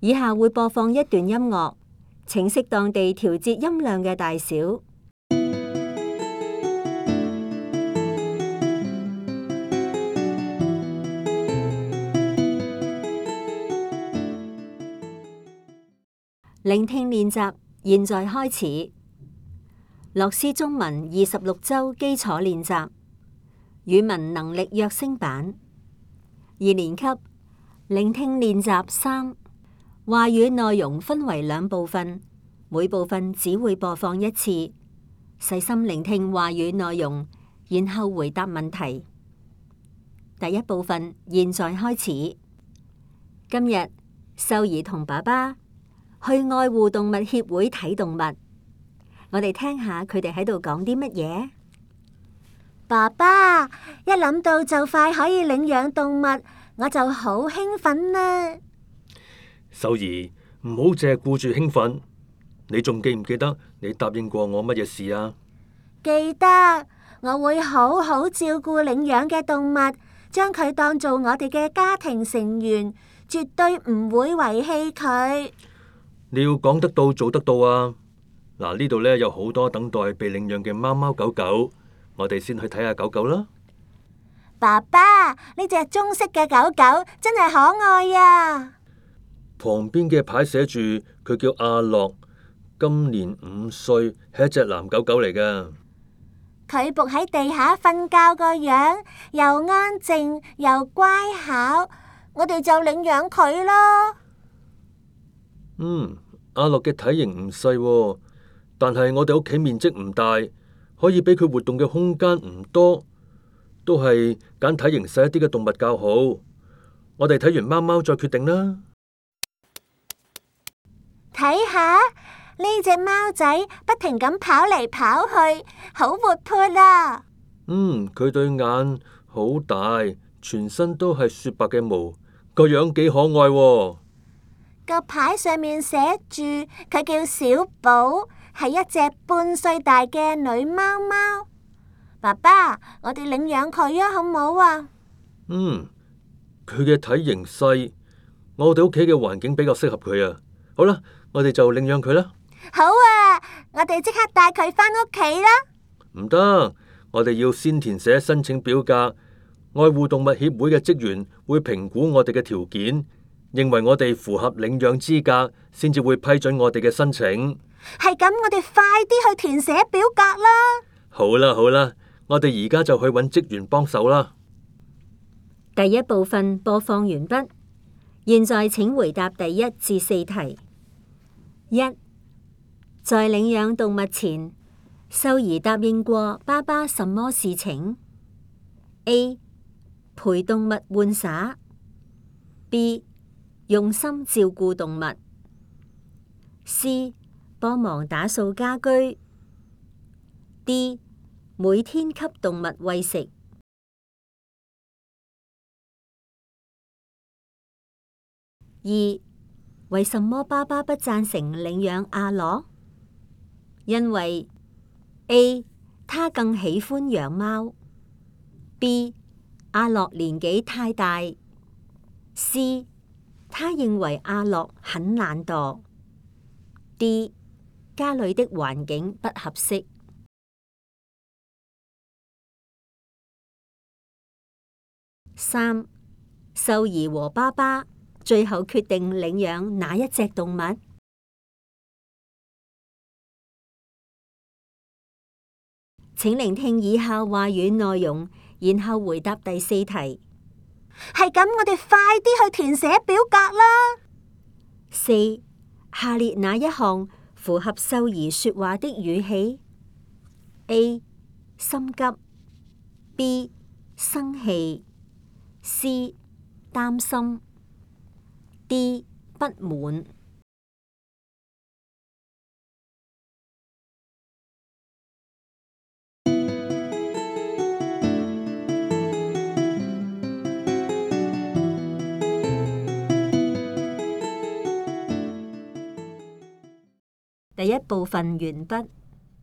以下會播放一段音樂，請適當地調節音量嘅大小。聆聽練習，現在開始。樂師中文26週基礎練習，語文能力躍升版，2年級。聆聽練習3，話語內容分為2部分，每部分只會播放1次。細心聆聽話語內容，然後回答問題。第1部分現在開始。今日秀兒同爸爸去愛護動物協會睇動物，我哋聽下佢哋喺度講啲乜嘢。爸爸，一諗到就快可以領養動物，我就好興奮啦。秀兒，唔好淨係顧住興奮，你仲記唔記得你答應過我乜嘢事啊？記得，我會好好照顧領養嘅動物，將佢當做我哋嘅家庭成員，絕對唔會遺棄佢。你要講得到做得到啊！嗱，呢度呢有好多等待被領養嘅貓貓狗狗，我哋先去睇下狗狗啦。爸爸，呢隻棕色嘅狗狗真係可愛啊！旁邊嘅牌寫住佢叫阿樂，今年5歲，係一隻藍狗狗嚟㗎。佢伏喺地下瞓覺個樣，又安靜又乖巧，我哋就領養佢咯。阿樂嘅體型唔細喎，但係我哋屋企面積唔大，可以俾佢活動嘅空間唔多，都係揀體型細一啲嘅動物較好。我哋睇完貓貓再決定啦。睇下呢隻貓仔不停咁跑嚟跑去，好活潑啊！佢對眼好大，全身都係雪白嘅毛，個樣幾可愛喎。個牌上面寫住佢叫小寶，係一隻半歲大嘅女貓貓。爸爸，我哋領養佢啊，好唔好啊？佢嘅體型細，我哋屋企嘅環境比較適合佢啊。好啦，我哋就領養佢啦。好啊，我哋即刻帶佢返屋企啦。唔得，我哋要先填寫申請表格，愛護動物協會嘅職員會評估我哋嘅條件，認為我哋符合領養資格，先至會批准我哋嘅申請。係咁，我哋快啲去填寫表格啦。好啦好啦，我哋而家就去揾職員幫手啦。第1部分播放完畢，現在請回答第1至4題。1. 在領養動物前，秀兒答應過爸爸什麼事情？ A. 陪動物玩耍。 B. 用心照顧動物。 C. 幫忙打掃家居。 D. 每天給動物餵食。2. 為什麼爸爸不贊成領養阿樂？因為 A. 他更喜歡養貓。 B. 阿樂年紀太大。 C. 他認為阿樂很懶惰。 D. 家裏的環境不合適。3. 秀兒和爸爸最後決定領養哪一隻動物？請聆聽以下話語內容，然後回答第4題。係咁，我哋快啲去填寫表格啦。 4. 下列哪一項符合秀兒說話的語氣？ A. 心急。 B. 生氣。 C. 擔心。 D. 不滿。第1部分完畢。